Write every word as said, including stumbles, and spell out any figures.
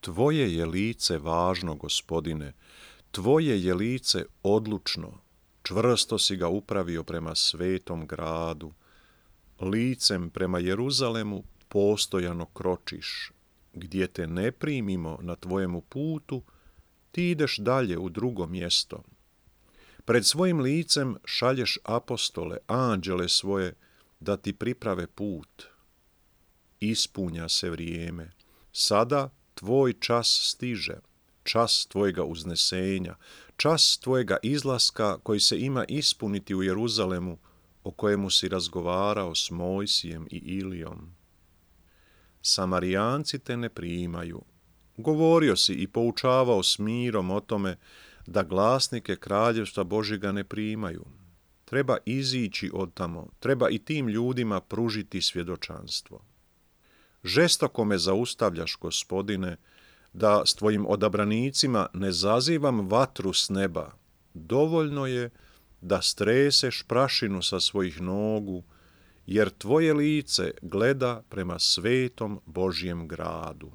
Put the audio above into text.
Tvoje je lice važno, Gospodine, Tvoje je lice odlučno, čvrsto si ga upravio prema svetom gradu. Licem prema Jeruzalemu postojano kročiš. Gdje te ne primimo na tvojemu putu, ti ideš dalje u drugo mjesto. Pred svojim licem šalješ apostole, anđele svoje, da ti priprave put. Ispunja se vrijeme. Sada tvoj čas stiže, čas tvojega uznesenja, čas tvojega izlaska koji se ima ispuniti u Jeruzalemu, o kojemu si razgovarao s Mojsijem i Ilijom. Samarijanci te ne primaju. Govorio si i poučavao s mirom o tome da glasnike kraljevstva Božjega ne primaju. Treba izići od tamo, treba i tim ljudima pružiti svjedočanstvo. Žestoko me zaustavljaš, Gospodine, da s tvojim odabranicima ne zazivam vatru s neba. Dovoljno je da streseš prašinu sa svojih nogu, jer tvoje lice gleda prema svetom Božjem gradu.